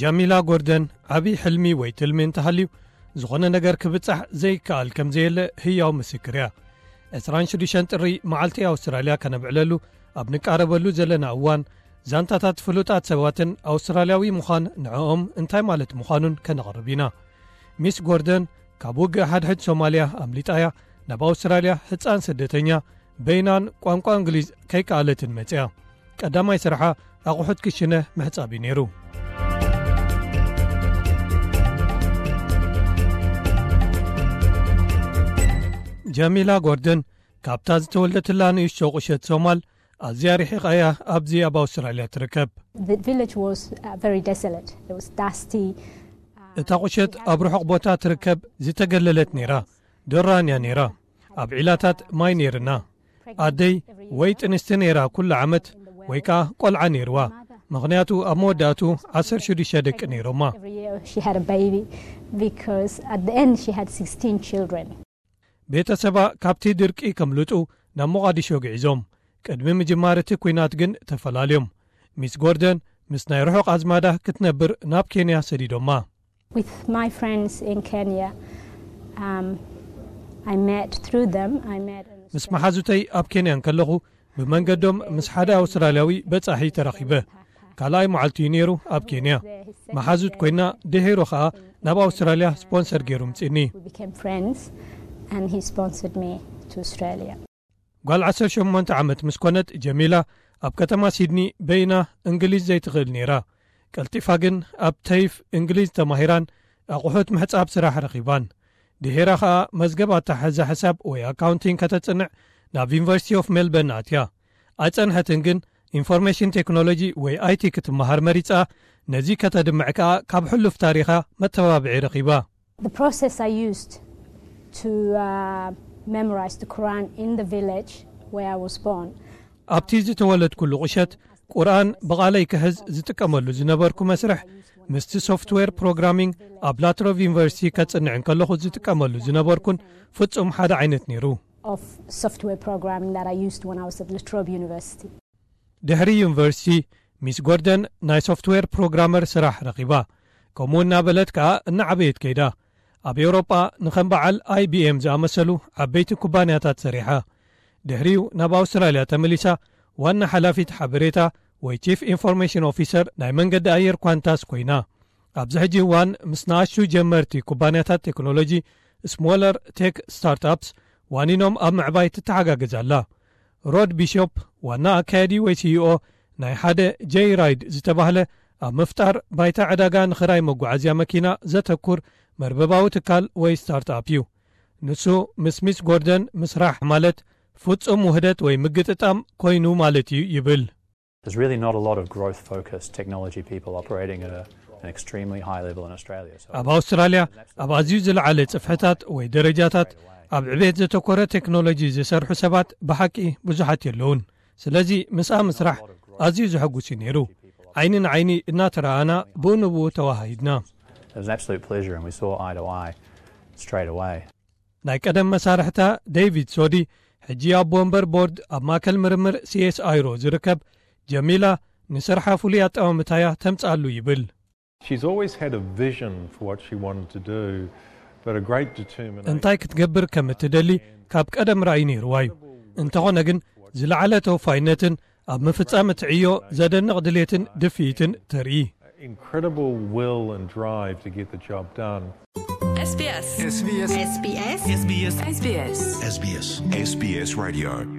ጃሚላ ጎርደን ዓብዪ ሕልሚ ወይ ትልሚ እንተሃልዩ፣ ዝኾነ ነገር ክብጻሕ ዘይከኣል ከም ዘየለ ህያው ምስክር እያ። ዕስራን ሽዱሽተን ጥሪ መዓልቲ ኣውስትራልያ ከነብዕለሉ ኣብ ንቃረበሉ ዘለና እዋን፣ ዛንታታት ፍሉጣት ሰባትን ኣውስትራልያዊ ምዃን ንዕኦም እንታይ ማለት ምዃኑን ከነቕርብ ኢና። ሚስ ጎርደን ካብ ውግእ ሓድሕድ ሶማልያ ኣምሊጣ እያ ናብ ኣውስትራልያ ህጻን ስደተኛ በይናን ቋንቋ እንግሊዝ ከይከኣለትን መጽያ። ቀዳማይ ስርሓ ኣቑሑት ክሽነ ምሕጻብ እዩ ነይሩ። ጀሚላ ጎርደን ካብታ ዝተወልደትላ ንእሽቶ ቁሸት ሶማል ኣዝያ ርሒቓ እያ ኣብዚ ኣብ ኣውስትራልያ ትርከብ። The village was uh, very desolate. It was dusty. እታ ቁሸት ኣብ ርሑቕ ቦታ ትርከብ ዝተገለለት ነይራ። ድራን እያ ነይራ። ኣብ ዒላታት ማይ ነይርና። ኣደይ ወይ ጥንስቲ ነይራ ኩሉ ዓመት ወይ ከኣ ቆልዓ ነይርዋ። ምኽንያቱ ኣብ መወዳእቱ ዓሰርተ ሽዱሽተ ደቂ ነይሮማ። Every year she had a baby because at the end she had sixteen children. ቤተሰባ ካብቲ ድርቂ ከምልጡ ናብ ሞቓዲሾ ግዒዞም። ቅድሚ ምጅማር እቲ ኲናት ግን ተፈላልዮም። ሚስ ጎርደን ምስ ናይ ርሑቕ ኣዝማዳ ክትነብር ናብ ኬንያ ሰዲዶማ። With my friends in Kenya, um, I met through them. I met. ምስ መሓዙተይ ኣብ ኬንያ እንከለኹ ብመንገዶም ምስ ሓደ ኣውስትራልያዊ በጻሒ ተራኺበ። ካልኣይ መዓልቲ እዩ ነይሩ ኣብ ኬንያ። መሓዙት ኮይና ድሒሩ ኸኣ ናብ ኣውስትራልያ ስፖንሰር ገይሩ ምጺኒ። We became friends, and he sponsored me to Australia. ጓል ዓሰርተ ሸሞንተ ዓመት ምስ ኮነት ጀሚላ ኣብ ከተማ ሲድኒ በይና እንግሊዝ ዘይትኽእል ነይራ። ቀልጢፋ ግን ኣብ ተይፍ እንግሊዝ ተማሂራን ኣቑሑት ምሕጻብ ስራሕ ረኺባን። ድሒራ ኸኣ መዝገብ ኣተሓሕዛ ሕሳብ ወይ ኣካውንቲንግ ከተጽንዕ ናብ ዩኒቨርሲቲ ኦፍ ሜልበርን ኣትያ። ኣይጸንሐትን ግን ኢንፎርሜሽን ቴክኖሎጂ ወይ ኣይቲ ክትመሃር መሪጻ። ነዚ ከተድምዕ ከኣ ካብ ሕሉፍ ታሪኻ መተባብዒ ረኺባ። The process I used to uh, memorize the Quran in the village where I was born. ኣብቲ ዝተወለድኩሉ ቁሸት ቁርኣን ብቓለይ ክሕዝ ዝጥቀመሉ ዝነበርኩ መስርሕ ምስቲ ሶፍትዌር ፕሮግራሚንግ ኣብ ላትሮቭ ዩኒቨርሲቲ ከጽንዕ እንከለኹ ዝጥቀመሉ ዝነበርኩን ፍጹም ሓደ ዓይነት ነይሩ። Of software programming that I used when I was at La Trobe University. ድሕሪ ዩኒቨርሲቲ ሚስ ጎርደን ናይ ሶፍትዌር ፕሮግራመር ስራሕ ረኺባ። ከምኡ እናበለት ከኣ እናዓበየት ከይዳ። ኣብ ኤውሮጳ ንኸም በዓል ኣይቢኤም ዝኣመሰሉ ዓበይቲ ኩባንያታት ሰሪሓ። ድሕሪኡ ናብ ኣውስትራልያ ተመሊሳ ዋና ሓላፊት ሓበሬታ ወይ ቺፍ ኢንፎርሜሽን ኦፊሰር ናይ መንገዲ ኣየር ኳንታስ ኮይና። ኣብዚ ሕጂ እዋን ምስ ንኣሽቱ ጀመርቲ ኩባንያታት ቴክኖሎጂ ስሞለር ቴክ ስታርትኣፕስ ዋኒኖም ኣብ ምዕባይ ትተሓጋገዝ ኣላ። ሮድ ቢሾፕ ዋና ኣካያዲ ወይ ሲኢኦ ናይ ሓደ ጀይ ራይድ ዝተባህለ ኣብ ምፍጣር ባይታ ዕዳጋ ንኽራይ መጓዓዝያ መኪና ዘተኩር መርበባዊ ትካል ወይ ስታርትኣፕ እዩ። ንሱ ምስ ሚስ ጎርደን ምስራሕ ማለት ፍጹም ውህደት ወይ ምግጥጣም ኮይኑ ማለት እዩ ይብል። There's really not a lot of growth focused technology people operating at a, an extremely high level in Australia. So ኣብ ኣውስትራልያ ኣብ ኣዝዩ ዝለዓለ ጽፍሕታት ወይ ደረጃታት ኣብ ዕቤት ዘተኮረ ቴክኖሎጂ ዝሰርሑ ሰባት ብሓቂ ብዙሓት የለውን። ስለዚ ምስኣ ምስራሕ ኣዝዩ ዘሐጉስ እዩ ነይሩ። ዓይኒ ንዓይኒ እናተረኣና ብኡ ንብኡ ተዋሃሂድና። It was an absolute pleasure, and we saw eye to eye straight away. ናይ ቀደም መሳርሕታ ዴቪድ ሶዲ ሕጂ ኣቦ ወንበር ቦርድ ኣብ ማእከል ምርምር ሲኤስኣይሮ ዝርከብ ጀሚላ ንስርሓ ፍሉይ ኣጠማምታያ ተምጽኣሉ ይብል። She's always had a vision for what she wanted to do, but a great determination. እንታይ ክትገብር ከም እትደሊ ካብ ቀደም ራእይ ነይርዋ እዩ። እንተኾነ ግን ዝለዓለ ተወፋይነትን ኣብ ምፍጻም እቲ ዕዮ ዘደንቕ ድሌትን ድፍኢትን ተርኢ። Incredible will and drive to get the job done. SBS. SBS. SBS. SBS. SBS. SBS. SBS Radio.